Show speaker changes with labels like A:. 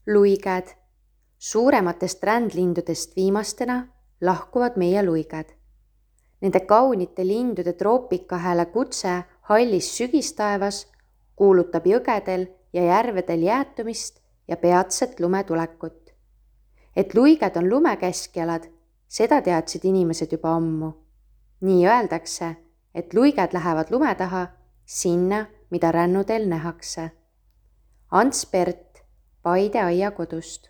A: Luiged. Suurematest rändlindudest viimastena lahkuvad meie luiged. Nende kaunite lindude troopikahääle kutse hallis sügistaevas kuulutab jõgedel ja järvedel jäätumist ja peatset lumetulekut. Et luiged on lumekeskjalad, seda teadsid inimesed juba ammu. Nii öeldakse, et luiged lähevad lume taha sinna, mida rännudel nähakse. Ants Pert Paide aiakodust.